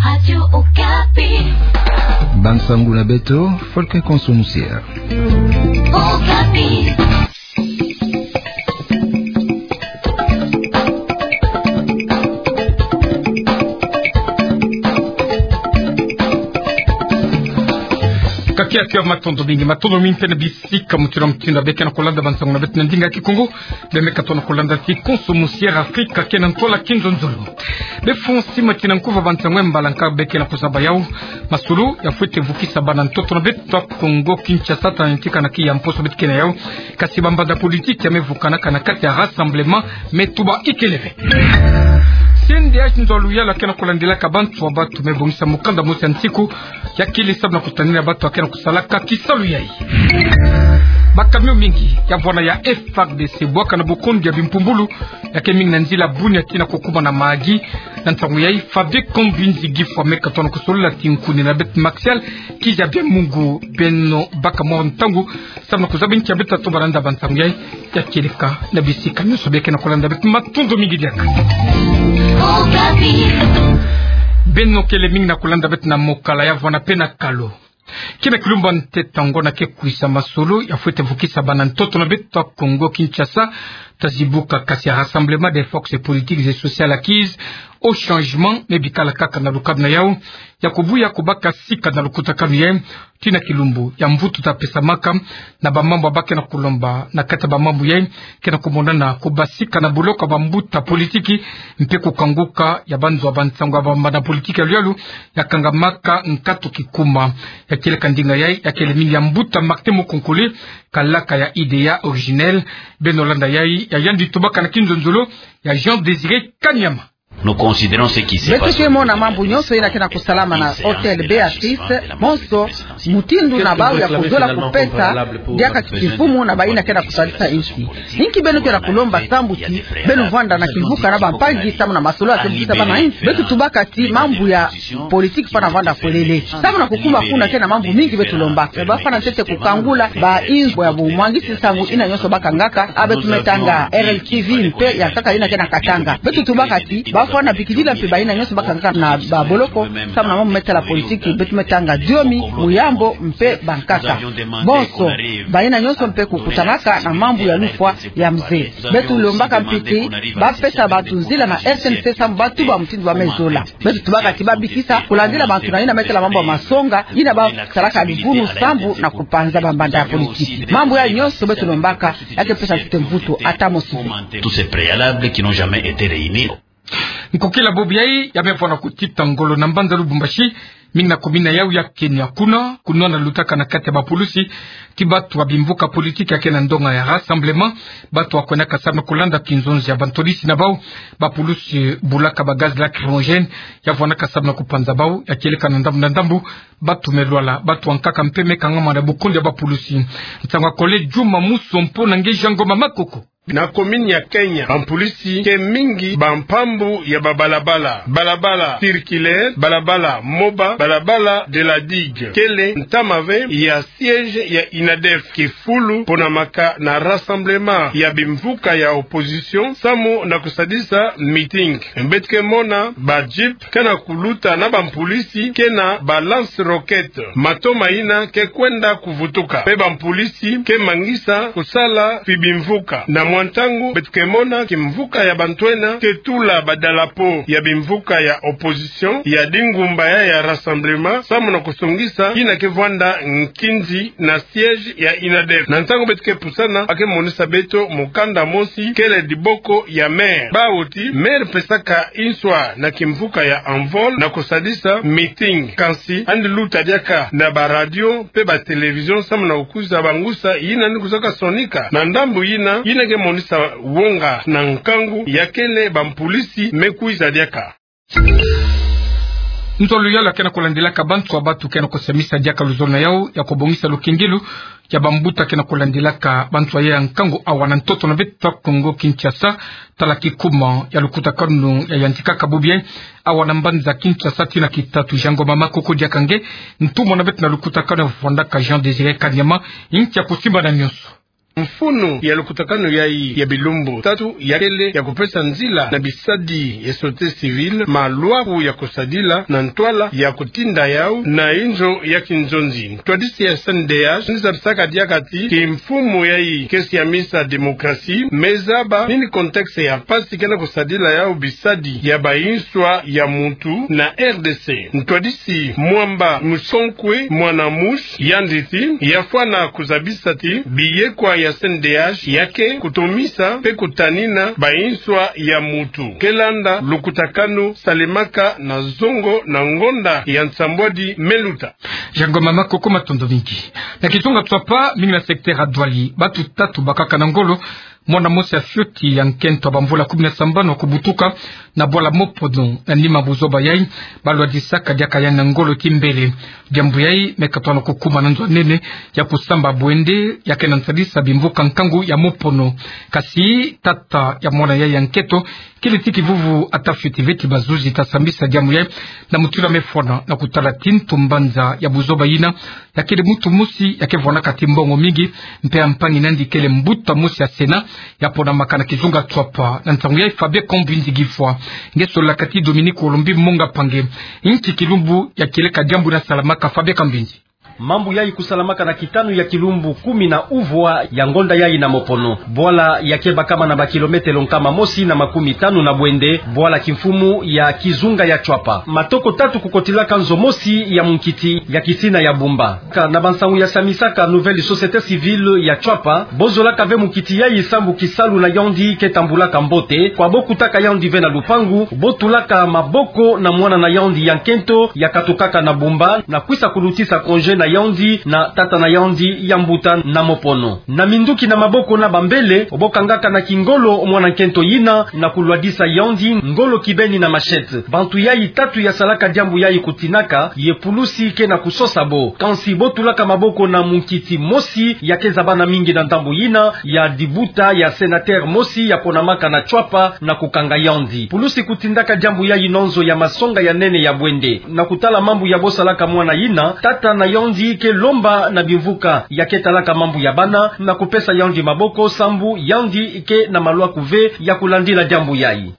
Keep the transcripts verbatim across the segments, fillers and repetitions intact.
Radio Okapi. Bansangu na beto, Volker Konso Musier. Okapi. Kakia kia, matondo mingi, matondo mingi mpe na bisika mutindu na mutindu beke na kolanda bansangu na beto na ndinga Kikongo. Bemeka tona kolanda ti Konso Musier, Afrika ke na ntwala kinzonzolo. Be fo nsima tina nkuva bansangu ya mbala nka beke na kuzaba yau: masolo ya fwete vukisa bana ntoto na beto ya Kongo Kinshasa, ta yantika na kiya mposo beto ke na yau. Kasi bambanda politiki ya me vukanaka na kati ya Rassemblement me tuba ikele ve. C N D H, nzo ya luyalu ya ke na kolandilaka bantu ya batu, me bongisa mukanda mosi ya nsiku ya kili samu na kutanina batu ya ke na kusalaka kisalu yayi. Ba camion mingi ya vwanda ya F A R D C bwaka na bukondi ya bimpumbulu ya ke mingi na nzila Bunia tina kukuma na Mahagi. Na ntangu yayi, Fabien Kambinzi Gifwa meka tona kusolola ti nkuni na beto Martial Kiza Bia Mungu. Beno baka mwa ntangu samu na kuzaba nki ya beto ta tomba na nda bansangu yayi. Ya kieleka na bisika nyonso beke na kolanda beto, matondo mingi diaka. Beno kele mingi na kolanda beto na Mokala, ya vwanda mpe na Kalu. Kina kilumbu ya ntete ya ngonda ke kwisa, masolo ya fwete vukisa bana ntoto na beto ya Kongo Kinshasa ta zibuka, kasi ya Rassemblement des forces politiques et sociales acquises au changement me bikala kaka na lukanu na yau ya kubuya kubaka sika na lukutakanu yayi. Tina kilumbu ya mvutu ta pesamaka na bamambu ya ba ke na kulomba na kati ya bamambu yayi ke na kumonana kubasika na boloko ya bambuta politiki mpe kukanguka ya banzo ya bansangu ya bambanda politiki ya luyalu ya kangamaka nkatu kikuma. Ya kieleka ndinga yayi ya kele mingi ya mbuta Martin Mukonkole, kalaka ya Idéa Originel. Beno landa yayi ya yandi tubaka na kinzonzolo ya Jean Désiré Kanyama. Nous considérons ce qui s'est passé. Beto ke mona mambu nyonso yina ke na kusalama na Hôtel Béatrice, bonso mutindu na bau ya kuzola kupesa diaka kimfumu na bayina ke na kusalisa insi. Inki beno ke na kulomba samu ti beno vwanda na kimvuka na bampangi samu na masolo ya ke vukisa bana insi? Beto tubaka ti mambu ya politiki fwana vwanda polele. Samu na kukuma kuna ke na mambu mingi beto lomba. Ba fwana ntete kukangula ba inzo ya bumwangisi nsangu yina nyonso ba kangaka, a beto me tanga R L T V mpe ya nkaka yina ke na Katanga. Beto tubaka ti ba fwana bikidila mpe bayina nyonso ba kangaka na baboloko samu na mambu me tala politiki, beto me tanga Diomi, Muyambo mpe bankaka. Bonso bayina nyonso mpe kukutanaka na mambu ya lufwa ya mze. Beto lombaka mpe ti ba pesa bantu nzila na S N C samu ba tuba mutindu ba me zola. Beto tubaka ti ba bikisa kulandila bantu na yina me tala mambu ya masonga, yina ba salaka livunu sambu na kupanza bambanda ya politiki. Mambu yayi nyonso beto lombaka ya ke pesa ntete mvutu ata mosi te. Tous ces préalables qui n'ont jamais été réunis. Nkokila bubu yayi ya me vwanda kutita ngolo na mbanza Lubumbashi, mingi na commune ya yau ya Kenya. Kuna, kuna na lutaka na kati ya bapulusi ti batu ya bimvuka politiki ya ke na ndonga ya Rassemblement, batu ya kwendaka samu na kulanda kinzonzi ya bantwadisi na bau. Bapulusi bulaka ba gaz lacrymogène ya vwandaka samu na kupanza bau. Ya kieleka na ndambu na ndambu, batu me lwala, batu ya nkaka mpe me kangama na bukondi ya bapulusi. Nsangu ya Collègue Juma Musompo na nge Jean Ngoma Makoko. Na commune ya Kenya, bampolisi ke mingi bampambu ya babalabala, balabala circulaire, balabala Moba, balabala de la Digue. Kele ntama ve ya siège ya inadef, kifulu ponamaka na rassemblement ya bimvuka ya opposition, samu na kusadisa meeting. Beto ke mona ba jeep ke na kuluta na bampolisi ke na ba lance-roquette, mato mayina ke kwenda kuvutuka. Mpe bampolisi ke mangisa kusala pi bimvuka. Na mwa ntangu, beto ke mona kimvuka ya bantwenya ke tula badalapo ya bimvuka ya opposition, ya dingumba ya, ya rassemblement, samu na kusongisa yina ke vwanda nkinzi na siège ya inadef. Na ntangu beto ke pusana, ba ke monisa beto mukanda mosi kele diboko ya maire. Bawu ti maire pesaka inswa na kimvuka ya Envol na kusadisa meeting. Kansi yandi luta diaka na ba radio mpe ba télévision samu na kukwiza bangusa yina yandi kuzaka sonika. Na ndambu yina, yina ke monisa wonga na nkangu ya kele bampolisi me kwiza diaka. Nzolo ya luzolo ke na kulandilaka bantu ya batu ke na kusemisa diaka luzolo na yau ya kubongisa lukengelo ya bambuta ke na kulandilaka bantu ya nkangu awa na ntoto na beto Kongo Kinshasa, tala kikuma ya lukutakanu ya yantikaka bubu yayi awa na mbanza Kinshasa tina kitatu. Jean Ngoma Makoko diaka nge ntumwa na beto na lukutakanu ya vwandaka Jean Désiré Kanyama, inki ya kusimba na nyonso. Mfunu ya lukutakanu yayi ya bilumbu tatu yakele ya kupesa nzila na bisadi ya société civile malwaku ya kusadila na ntwala ya kutinda yau na inzo ya kinzonzi. Ntwadisi ya C N D H ni zabisaka diaka ti kimfumu yayi ke siamisa démocratie, me zaba nini contexte ya mpasi kena kusadila yau bisadi ya banswa ya muntu na R D C. Ntwadisi Mwamba Musonkwe Mwana Musi yandi ti, yafwana kuzabisa ti biyekwa ya C N D H ya ke kutomisa mpe kutanina banswa ya muntu, ke landa lukutakanu salemaka na zongo na ngonda ya nsambwadi me luta. Jean Ngoma Makoko, matondo mingi. Na kizunga Tswapa, mingi na secteur ya Douala, batu tatu bakaka na ngolo, mwana mosi ya fioti ya nkento ya bamvula kumi na sambanu kubutuka na bwala Mopono na nima buzoba yayi, balwadisaka diaka yandi na ngolo kimbele. Diambu yayi me katwa na kukuma na nzo nene ya kusamba bwende ya kena nsalisa bimvuka nkangu ya Mopono. Kasi tata ya mwana yayi ya nkento, kele ti kivuvu ata fioti ve ti bazuzi ta sambisa diambu yayi na mutindu ya mefwana na kutala tintu mbanza ya buzoba yina, ya kele muntu mosi ya ke vwanaka ti mbongo mingi, mpe ya mpangi na yandi kele mbuta mosi ya Sénat, ya ponamaka na kizunga Tswapa. Na nsangu yayi Fabien Kambinzi Gifwa nge sololaka ti Dominique Olombi Monga Pange. Nki kilumbu ya kieleka diambu yina salamaka, Fabien Kambinzi? Mambu yayi kusalamaka na kitanu ya kilumbu kumi na uvwa ya ngonda yayi na Mopono. Bwala ya ke bakama na bakilometelo nkama mosi na makumi tanu na bwende, bwala kimfumu ya kizunga ya Tswapa. Matoko tatu kukotilaka nzo mosi ya munkiti ya kisina ya Bumba. Ka na bansangu ya samisaka Nouvelle Société Civile ya Tswapa, bo zolaka ve munkiti yayi sambu kisalu na yandi ke tambulaka mbote, kwa bo kutaka yandi ve na lupangu, bo tulaka maboko na mwana na yandi ya nkento ya katukaka na Bumba, na kwisa kulutisa congé na yandi na tata na yandi ya mbuta na Mopono. Na minduki na maboko na bambele, bo kangaka na kingolo mwana nkento yina na kulwadisa yandi ngolo kibeni na machette. Bantu yayi tatu ya salaka diambu yayi kutinaka, ye pulusi ke na kusosa bo. Kansi bo tulaka maboko na munkiti mosi ya ke zabana mingi na ndambu yina, ya dibuta ya sénateur mosi ya ponamaka na Tswapa na kukanga yandi. Pulusi kutindaka diambu yayi na nzo ya masonga ya nene ya bwende. Na kutala mambu ya bo salaka mwana yina, tata na yandi ke lomba na bimvuka ya ke talaka mambu ya bana na kupesa yandi maboko sambu yandi ke na malwaku ve ya kulandila diambu yayi.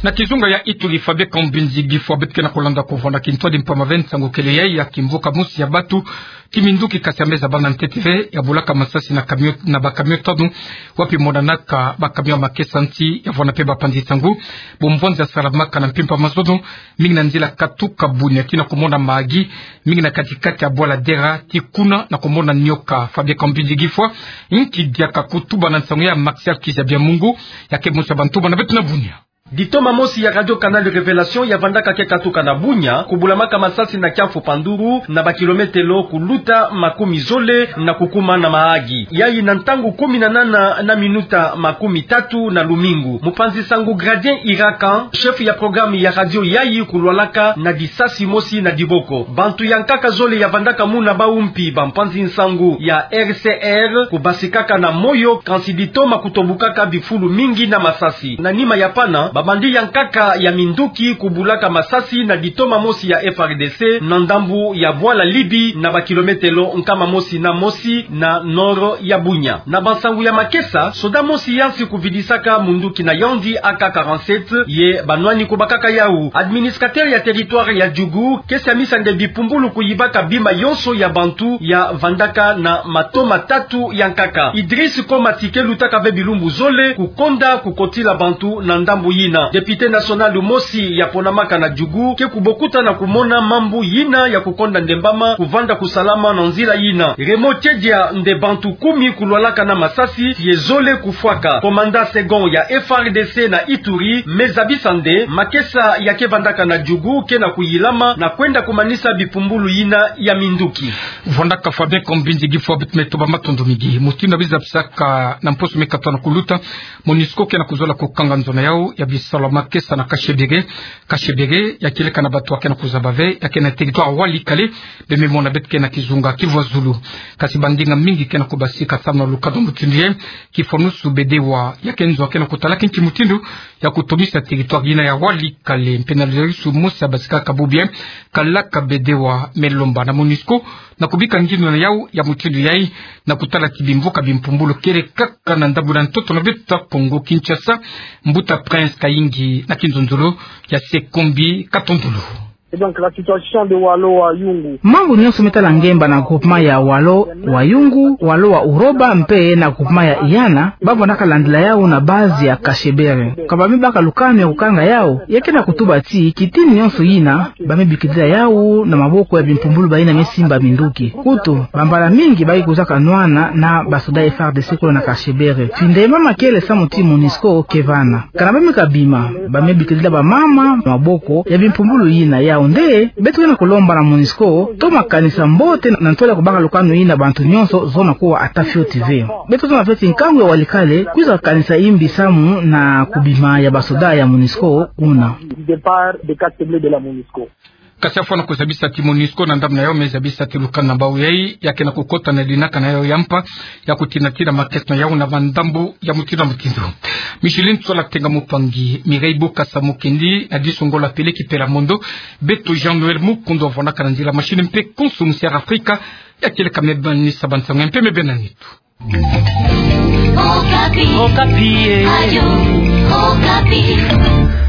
Na kizunga ya Ituri, Fabien Kambinzi Gifwa, beto ke na kulanda kuvwanda kintwadi mpamba ve nsangu kele yayi ya kimvuka mosi ya batu, kiminduki kasi ya me zabana ntete ve, ya bulaka masasi na camion, na bacamion tanu, wapi monanaka bacamion ya makesa nti, ya vwanda mpe bapanzi nsangu. Bumvwanza ya salamaka na mpimpa mazono, mingi na nzila katuka Bunia tii na kumona Mahagi, mingi na kati-kati ya bwala Dera, tii kuna na kumona Nioka. Fabien Kambinzi Gifwa, nki diaka kutuba na nsangu ya Maxial Kizabia Mungu, ya ke mosi ya bantoma na beto na Bunia? Ditoma mosi ya Radio Canal Révélation ya vandaka ke katuka na Bunia, kubulamaka masasi na kiamfu Panduru, na bakilometelo kuluta makumi zole na kukuma na Mahagi. Yayi na ntangu kumi na nana na minuta makumi tatu na lumingu. Mupanzi nsangu Gradien Irakan, chef ya programme ya radio yayi, kulwalaka na disasi mosi na diboko. Bantu ya nkaka zole ya vandaka muna bau mpi bampanzi nsangu ya R C R kubasikaka na moyo, kansi ditoma kutobukaka bifulu mingi na masasi. Na nima ya pana, babandi ya nkaka ya minduki kubulaka masasi na ditoma mosi ya F R D C na ndambu ya bwala Libi, na bakilometelo nkama mosi na mosi na nord ya Bunia. Na bansangu ya makesa, soda mosi yansi kuvidisaka munduki na yandi A K quarante-sept, ye banwani kubakaka yau. Administrateur ya territoire ya Djugu ke siamisa nde bipumbulu kuyibaka bima yonso ya bantu ya vandaka na matoma tatu ya nkaka. Idriss Komati ke lutaka ve bilumbu zole kukonda kukotila bantu na ndambu yina. Député national mosi ya ponamaka na Djugu ke kubokuta na kumona mambu yina ya kukonda ndembama kuvanda kusalama na nzila yina. Raymond Tchedja nde bantu kumi kulwalaka na masasi ye zole kufwaka. Commandant second ya F R D C na Ituri me zabisa nde makesa ya ke vandaka na Djugu ke na kuyilama na kwenda kumanisa bipumbulu yina ya minduki. Vwandaka Fabien Kambinzi Gifwa, beto me tuba matondo mingi. Mutindu ya bizabisaka na mposo me katwa na kuluta, MONUSCO ke na kuzola kukanga nzo na yau ya bisalu ya makesa na Kashebere. Kashebere ya kieleka na batu ya ke na kuzaba ve, ya ke na territoire Walikale, be me mona beto ke na kizunga Kivu ya Zulu. Kasi bandinga mingi ke na kubasika samu na lukado mutindu yayi, kifwanusu bedewa ya ke nzo ya ke na kutala kinki mutindu ya kutomisa territoire yina ya Walikale. Mpe na Lazarus Musa Basika Kabubie, kalaka bedewa me lomba na MONUSCO na kubika ngindu na yau ya mutindu yai, na kutala ti bimvuka bimpumbulu kele kaka na ndambu na ntoto na beto Kongo Kinshasa. Mbuta Prince Kayingi na kinzonzolo ya Sekombi Katondolo. Et donc, la situation de Waalo Wayungu. Mambu nyonso me tala ngemba na groupement ya Waalo Wayungu, Waalo wa Uroba mpe na groupement ya Iyana, bavwandaka landila yau na base ya Kashebere. Ka ba me baka lukanu ya kukanga yau, ya ke na kutuba ti kitini nyonso yina ba me bikidila yau na maboko ya bimpumbulu bayina me simba minduki. Kutu, bambala mingi ba ke kwizaka nwana na basoda F R D C kuna na Kashebere. Tinde mama kele samu ti MONUSCO ke vana. Kana ba me kabima, ba me bikidila bamama maboko ya bimpumbulu yina. Yau nde, beto ke na kulomba na MONUSCO toma kanisa mbote na ntwala ya kubaka lukanu yina bantu nyonso zona kuwa ata fioti ve. Beto toma feti nkangu ya Walikale kwiza kanisa imbi samu na kubima ya basoda ya MONUSCO kuna. Du départ des casques bleus de la MONUSCO. Kasi afwana kuzabisa ti MONUSCO na ndambu na yau me zabisa ti lukanu na bau yai, ya ke na kukota na dinaka na yau ya mpa ya kutinatina ma question na yau na bandambu ya mutindu na mutindu. Micheline Tsola Tenga Mupangi, Mireille Bokassa Mukendi, Nadiso Ngola Pele Kipela Mondo, beto Jean-Noël Mukundu avwanaka na nzila machine mpe konso musiara Afrika, ya kele ka me bani sa bansangu mpe me bena nitu. Okapi. Okapi, eh. Radio Okapi.